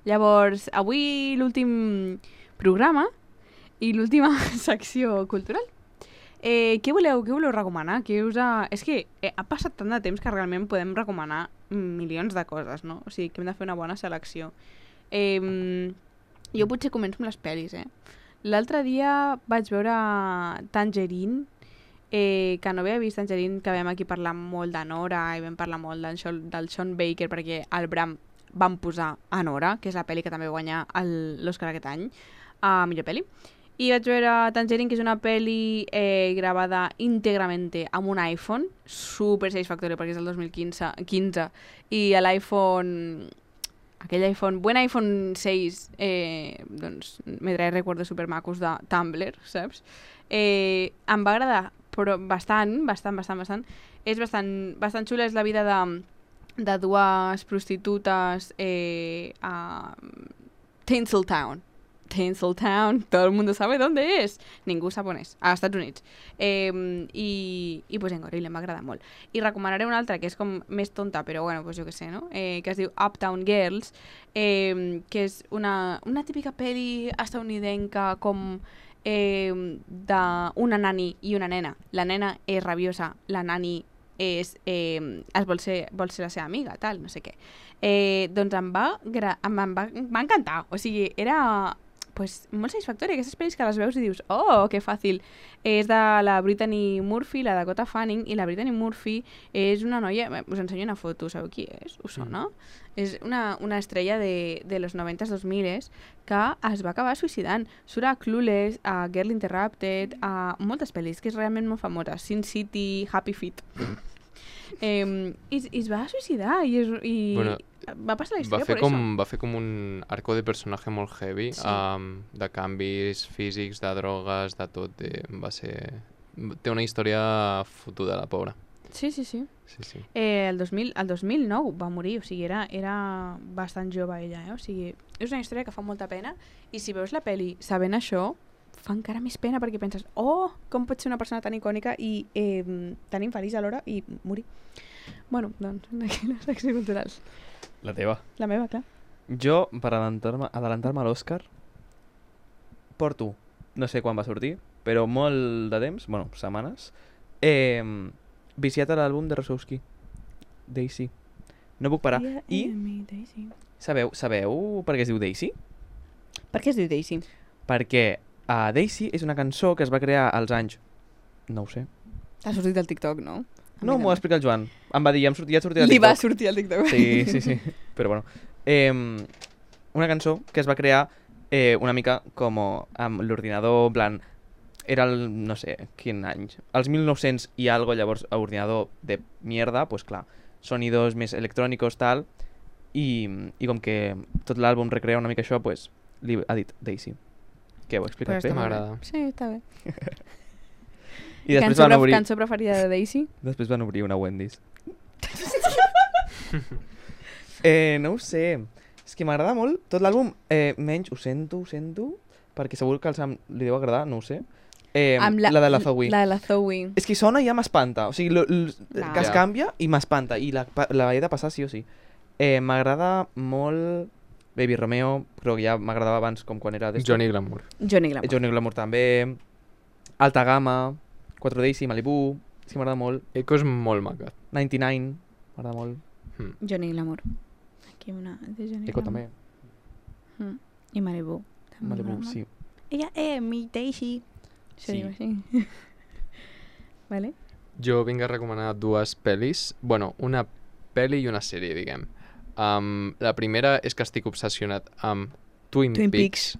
Llavors, avui l'últim programa i l'última secció cultural. Eh, què voleu, què voleu recomanar? Què us ha... És que eh, ha passat tant de temps que realment podem recomanar milions de coses, no? O sigui, que hem de fer una bona selecció. Eh, jo potser començo amb les pel·lis, eh? L'altre dia vaig veure Tangerine, eh, que no havia vist Tangerine, que vam aquí parlar molt de Nora i vam parlar molt del, Sean- del Sean Baker perquè al Bram van posar a Nora, que és la pel·li que també va guanyar el- l'Oscar aquest any, a millor pel·li. I vaig veure Tangerine, que és una pel·li eh, gravada íntegrament amb un iPhone, super satisfactori perquè és del dos mil quinze, quinze i l'iPhone, aquell iPhone, buen iPhone seis, eh, doncs me trae recuerdos supermacos de Tumblr, saps? Eh, em va agradar, però bastant, bastant, bastant, bastant. És bastant, bastant xula, és la vida de, de dues prostitutes eh, a Tinseltown. Tinseltown, todo el mundo sabe dónde es. Ningú sap on és, a Estats Units. Eh, I, i pues en Gorilla m'agrada molt. I recomanaré una altra que és com més tonta, però bueno, pues jo què sé, no? Eh, que es diu Uptown Girls, eh, que és una, una típica pel·li estadounidenca com eh, d'una nani i una nena. La nena és rabiosa, la nani és, eh, es vol ser, vol ser la seva amiga, tal, no sé què. Eh, doncs em va, gra em, em va, em va encantar, o sigui, era pues, molt satisfactori, aquestes pel·lis que les veus i dius, oh, que fàcil. És de la Brittany Murphy, la Dakota Fanning, i la Brittany Murphy és una noia, us ensenyo una foto, sabeu qui és? Us sona? Mm. És una, una estrella de, de los noventa, dos mil que es va acabar suïcidant. Surt a Clueless, a Girl Interrupted, a moltes pel·lis, que és realment molt famosa. Sin City, Happy Feet. eh, i, I es va suïcidar i, es, i Bueno, va passar la Va història fer, per com, això. va fer com un arco de personatge molt heavy, Sí. um, de canvis físics, de drogues, de tot. De, va ser... Té una història fotuda, la pobra. Sí, sí, sí. Sí, sí. Eh, el, dos mil, el dos mil nou va morir, o sigui, era, era bastant jove ella, eh? O sigui, és una història que fa molta pena i si veus la peli sabent això, fa encara més pena perquè penses, oh, com pot ser una persona tan icònica i eh, tan infeliç alhora i morir. Bueno, doncs, aquí la secció cultural. La teva. La meva, clar. Jo, per adelantar-me adelantar a l'Òscar, porto, no sé quan va sortir, però molt de temps, bueno, setmanes, eh, viciat a l'àlbum de Rosowski, Daisy. No puc parar. Yeah, I enemy, Daisy. sabeu, sabeu per què es diu Daisy? Per què es diu Daisy? Perquè uh, Daisy és una cançó que es va crear als anys... No ho sé. T'ha sortit del TikTok, no? A No, mi m'ho va també. explicar el Joan. Em va dir, ja em sortia, ja et sortia al Li va TikTok. sortir al TikTok. Sí, sí, sí. Però bueno. Eh, una cançó que es va crear eh, una mica com amb l'ordinador, en plan... Era el, no sé, quin any. Els mil nou-cents i algo, llavors, a ordinador de mierda, pues clar, sonidos més electrònicos, tal, i, i com que tot l'àlbum recrea una mica això, pues, li ha dit Daisy. Què, ho he explicat Però bé? està molt bé. M'agrada. Sí, està bé. I després cançó, van, pre- obrir, cançó preferida de Daisy? després van obrir una Wendy's. eh, no ho sé. És que m'agrada molt tot l'àlbum, eh, menys ho sento, ho sento, perquè segur que els am- li deu agradar, no ho sé. Eh, Amb la, de la Zoe. La de la Zoe. És que sona i ja m'espanta. O sigui, lo, lo, Clar. que es Ja. canvia i m'espanta. I la, pa- la he de passar sí o sí. Eh, m'agrada molt Baby Romeo, però que ja m'agradava abans com quan era... d'esto. Johnny Glamour. Johnny Glamour. Johnny Glamour també. Alta Gamma, quatre Daisy, Malibu, és que m'agrada molt. Eco és molt maca. noranta-nou, m'agrada molt. Mm. Johnny Glamour. Aquí una de Johnny Eco Glamour. també. Mm. I Malibu. també Malibu, m'agrada sí. molt. Ella és mi Daisy. Això Sí. diu així. Vale. Jo vinc a recomanar dues pel·lis. Bueno, una pel·li i una sèrie, diguem. Um, la primera és que estic obsessionat amb Twin, Twin Peaks.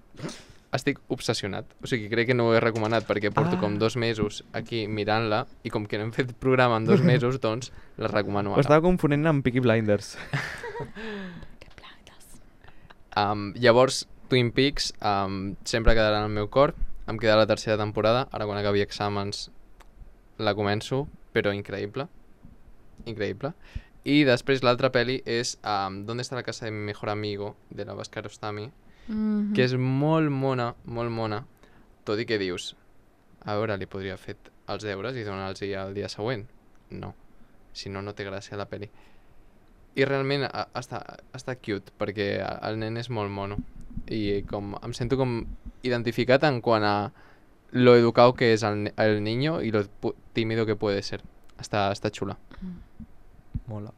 Estic obsessionat. O sigui, crec que no ho he recomanat perquè porto Ah. com dos mesos aquí mirant-la i com que no hem fet programa en dos mesos, doncs la recomano Ho ara. estava confonent amb Peaky Blinders. Um, llavors, Twin Peaks um, sempre quedarà en el meu cor. Em queda la tercera temporada. Ara quan acabi exàmens la començo, però increïble. Increïble. I després l'altra pel·li és um, ¿Dónde está la casa de mi mejor amigo? De la Bhaskar Ostami, Mm-hmm. que és molt mona, molt mona, tot i que dius, a veure, li podria haver fet els deures i donar-los el dia següent. No, si no, no té gràcia la pel·li. I realment a, està, està cute, perquè el nen és molt mono. I com em sento com identificat en quant a lo educado que és el, el niño i lo pu- tímido que puede ser. Està, està xula. Mola.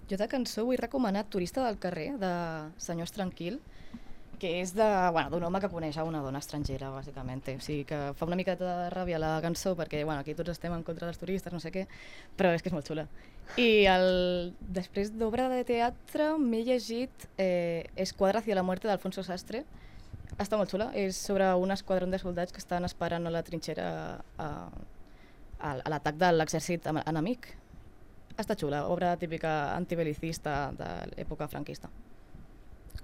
Jo de cançó vull recomanar Turista del carrer, de Senyors Tranquil, que és de, bueno, d'un home que coneix a una dona estrangera, bàsicament. O sigui que fa una miqueta de ràbia la cançó, perquè bueno, aquí tots estem en contra dels turistes, no sé què, però és que és molt xula. I el... després d'obra de teatre m'he llegit eh, Esquadra hacia la muerte d'Alfonso Sastre. Està molt xula, és sobre un esquadrón de soldats que estan esperant a la trinxera a, a, a l'atac de l'exèrcit am- enemic. Està xula, obra típica antibelicista de l'època franquista.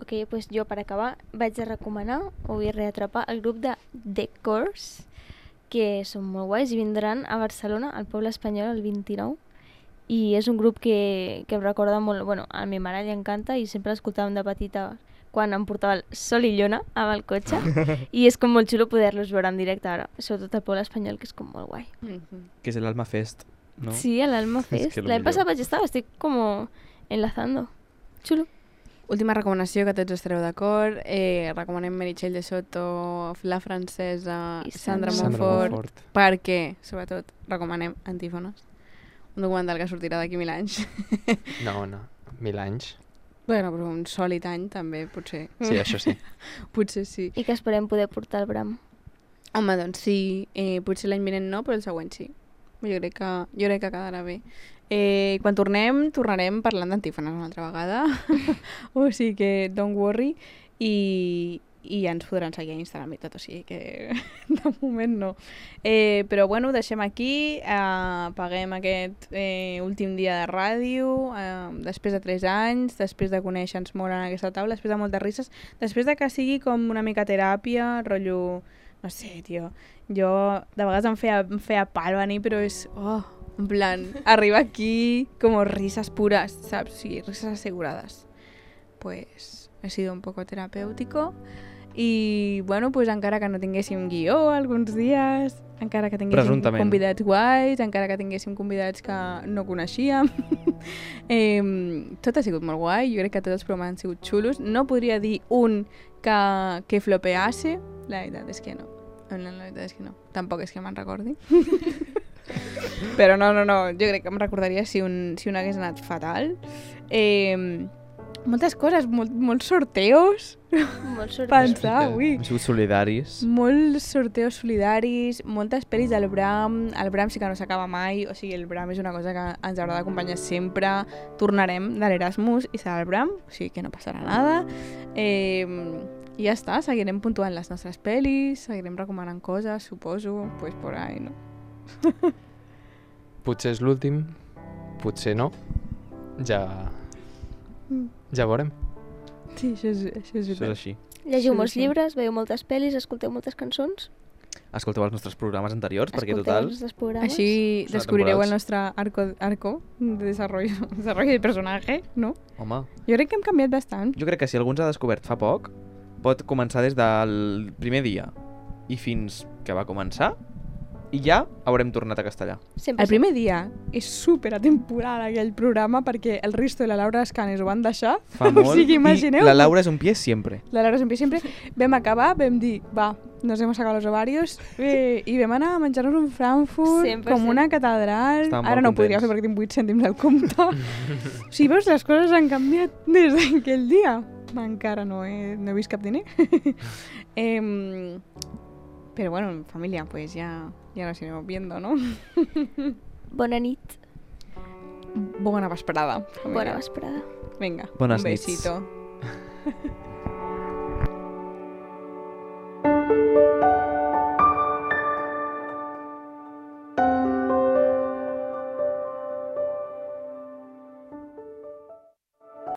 Ok, doncs jo per acabar vaig a recomanar o vull reatrapar el grup de The Course, que són molt guais i vindran a Barcelona, al Poble Espanyol, el vint-i-nou. I és un grup que, que em recorda molt... Bueno, a mi mare li encanta i sempre l'escoltàvem de petita quan em portava el Sol i Lluna amb el cotxe. I és com molt xulo poder-los veure en directe ara, sobretot al Poble Espanyol, que és com molt guai. Mm-hmm. Que és l'Alma Fest, no? Sí, a l'Alma És Fest. que lo L'any millor. passat vaig estar, estic com enlazando. Xulo. Última recomanació, que tots estareu d'acord. Eh, recomanem Meritxell de Soto, La Francesa, I Sandra, Sandra Monfort, Monfort. perquè, sobretot, recomanem Antífones, un documental que sortirà d'aquí mil anys. No, no, mil anys. Bueno, però un sòlid any també, potser. Sí, això sí. Potser sí. I que esperem poder portar el Bram. Home, doncs sí, eh, potser l'any vinent no, però el següent sí. Jo crec que, jo crec que quedarà bé. Eh, quan tornem, tornarem parlant d'Antífones una altra vegada. O sigui que don't worry. I, i ja ens podran seguir a Instagram i tot, o sigui que de moment no. Eh, però bueno, ho deixem aquí, eh, paguem aquest eh, últim dia de ràdio, eh, després de tres anys, després de conèixer-nos molt en aquesta taula, després de moltes risses, després de que sigui com una mica teràpia, rotllo, no sé, tio, jo de vegades em feia, em feia pal venir, però és, oh, en plan, arriba aquí como risas puras, ¿sabes? Sí, risas aseguradas. Pues ha sido un poco terapéutico. I, bueno, pues encara que no tinguéssim guió alguns dies, encara que tinguéssim Presumptament. convidats guais, encara que tinguéssim convidats que no coneixíem, eh, tot ha sigut molt guai, jo crec que tots els programes han sigut xulos. No podria dir un que, que flopeasse, la veritat és que no. La veritat és que no. Tampoc és que me'n recordi. Però no, no, no, jo crec que em recordaria si un, si un hagués anat fatal. Eh, moltes coses, molt, molts sorteos, Molt sort. pensar, ui. Hem sigut solidaris. Molts sorteos solidaris, moltes pel·lis del Bram. El Bram sí que no s'acaba mai, o sigui, el Bram és una cosa que ens haurà d'acompanyar sempre. Tornarem de l'Erasmus i serà el Bram, o sigui que no passarà nada. Eh, I ja està, seguirem puntuant les nostres pel·lis, seguirem recomanant coses, suposo, pues por ahí, no? Potser és l'últim, potser no. Ja... Ja veurem. Sí, això és, això és Això és així. Llegiu Sí, molts sí. llibres, veieu moltes pel·lis, escolteu moltes cançons. Escolteu els nostres programes anteriors, perquè escolteu total... els nostres programes. Així Són descobrireu el temporals. nostre arco, arco de desarrollo, desarrollo de personatge, no? Home, Jo crec que hem canviat bastant. jo crec que si algú ens ha descobert fa poc, pot començar des del primer dia i fins que va començar i ja haurem tornat a castellà. Sempre El primer dia és super atemporal aquell programa perquè el Risto i la Laura Escanes ho van deixar. Fa molt. O sigui, imagineu. I la Laura és un pie sempre. La Laura sempre sempre. Vam acabar, vam dir, va, nos hemos sacado los ovarios eh, i vam anar a menjar-nos un Frankfurt cent per cent. com una catedral. Estàvem Ara molt no ho podria contents. fer perquè tinc vuit cèntims al compte. O sigui, veus, les coses han canviat des d'aquell dia. Encara no he, no he vist cap diner. eh, però bueno, familia, pues ya, ya nos iremos viendo, ¿no? Bona nit. Bona vesprada. Bona vesprada. Venga, Bones un nits. besito.